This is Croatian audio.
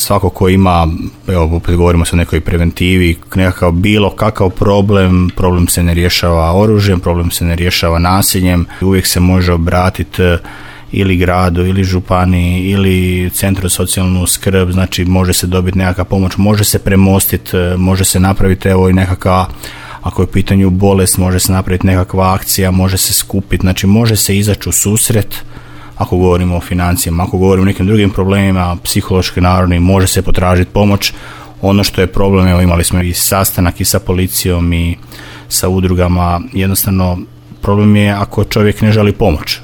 svako ko ima, evo opet govorimo se o nekoj preventivi, nekakav bilo kakav problem se ne rješava oružjem, problem se ne rješava nasiljem, uvijek se može obratiti ili gradu, ili županiji, ili centru socijalnu skrb, znači može se dobiti nekakva pomoć, može se premostiti, može se napraviti evo i nekakva, ako je u pitanju bolest, može se napraviti nekakva akcija, može se skupiti, znači može se izaći u susret, ako govorimo o financijama, ako govorimo o nekim drugim problemima, psihološki narodni, može se potražiti pomoć. Ono što je problem, evo imali smo i sastanak i sa policijom i sa udrugama, jednostavno problem je ako čovjek ne želi pomoć.